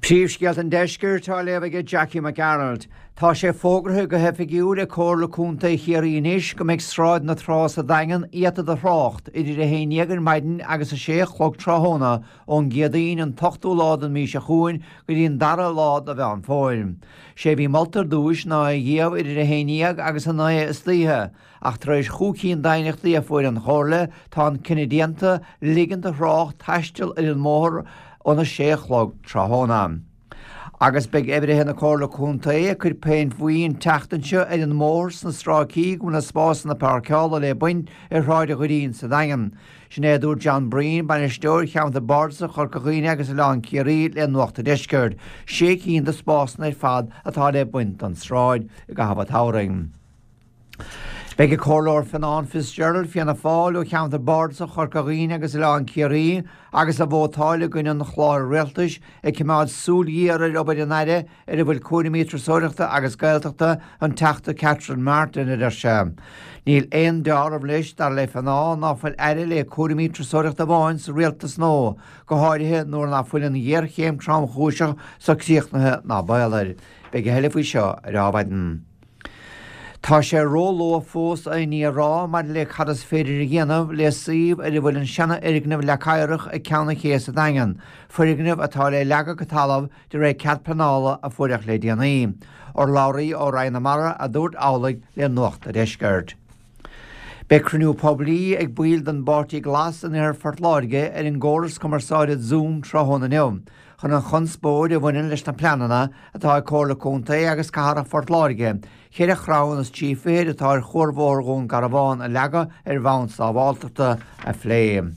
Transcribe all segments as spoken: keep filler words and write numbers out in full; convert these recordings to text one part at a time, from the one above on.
Príomhscéalta an Deiscirt á léamh aige Jackie Mac Gearailt. Tá sé fógartha go hoifigiúil ag Comhairle Contae Chiarraí anois go mbeidh Sráid na Trá sa Daingean iata do thrácht idir a haon déag ar maidin agus a sé a chlog tráthnóna ón gCéadaoin an t-ochtú lá den mhí seo chugainn go dtí an dara lá de Mheán Fómhair. Sé a bhí molta ar dtúis ná é a dhíobh idir a haon déag agus a naoi istoíche, ach tar éis chúig cinn d'aighneachtaí a fuair an Chomhairle tá an cinneadh déanta ligean do thrácht taisteal ar an mbóthar óna sé a chlog tráthnóna. Agus beidh oibrithe na Comhairle Contae ag cur péint bhuí an tseachtain seo ar an mbóthar sna stráicí go bhfuil na spásanna páirceála le baint ar Shráid an Dhoirín sa Daingean. Sin é a dúirt John Breen, bainisteoir Cheantar Bardasach Chorca Dhuibhne agus Oileán Ciarraí le Nuacht an Deiscirt. Sé cinn de spásanna ar fad atá le baint don tsráid i gcaitheamh an tsamhraidh. Beidh an Comhairleoir Fionán Fitzgerald, Fianna Fáil, ó Cheantar Bardasach Chorca Dhuibhne agus Oileán Ciarraí agus a vótáil i gcoinne an chláir rialtais ag coimeád súil ghéar ar obair an Aire ar a bhfuil cúraimí turasóireachta agus Gaeltachta an Teachta Catherine Martin, a deir sé. Níl aon dealramh leis, dar le Fionán, ná fuil Aire le cúraimí turasóireachta amháin sa rialtas nua, go háirithe nuair ná fuil an ghéarchéim tromchúiseach so críochnaithe ná baol air. Beidh a thuilleadh faoi seo ar Adhmhaidin. Tá sé róluath fós aon ní a rá maidir le cad is féidir a dhéanamh le suíomh ar a bhfuil an seanfhoirgneamh Leac Oighreach ag Ceann an Ché sa Daingean, foirgneamh atá le leagadh go talamh de réir cead pleanála a fuaireadh le déanaí. Urlabhraí ó Roinn na Mara a dúirt amhlaidh le Nuacht an Deiscirt. Beidh cruinniú poiblí ag baill den bPáirtí Glas in iarthar Phort Láirge ar an gcóras cumarsáide Zoom tráthnóna inniu chun an chonspóid a bhaineann leis na pleananna atá ag Comhairle Contae agus Cathrach Phort Láirge ceithre chrann is trí fichid atá ar Chuarbhóthar Dhún Garbhán a leagadh ar bhonn sábháilteachta a phlé.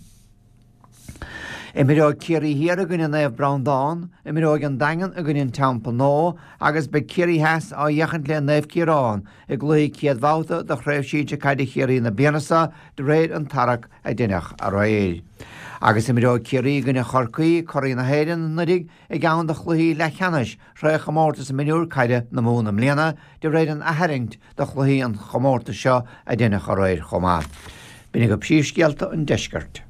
Imreoidh Ciarraí Thiar i gcoinne Naomh Breandán, imreoidh an Daingean i gcoinne an Teampaill Nua agus beidh Ciarraí Theas á fhéachaint le Naomh Ciarán i gcluiche céad bhabhta de Chraobh Shinsir Caide Chiarraí na bliana seo de réir an tarrac a deineadh aréir. Agus imreoidh Ciarraí i gcoinne Chorcaí, curaidh na hÉireann anuraidh, i gceann de chluichí leathcheannais Chraobhchomórtas Mionúr Caide na Mumhan i mbliana, de réir an atharraingt do chluichí an chomórtais seo a deineadh aréir chomh maith. B'in agaibh príomhscéalta an deiscirt.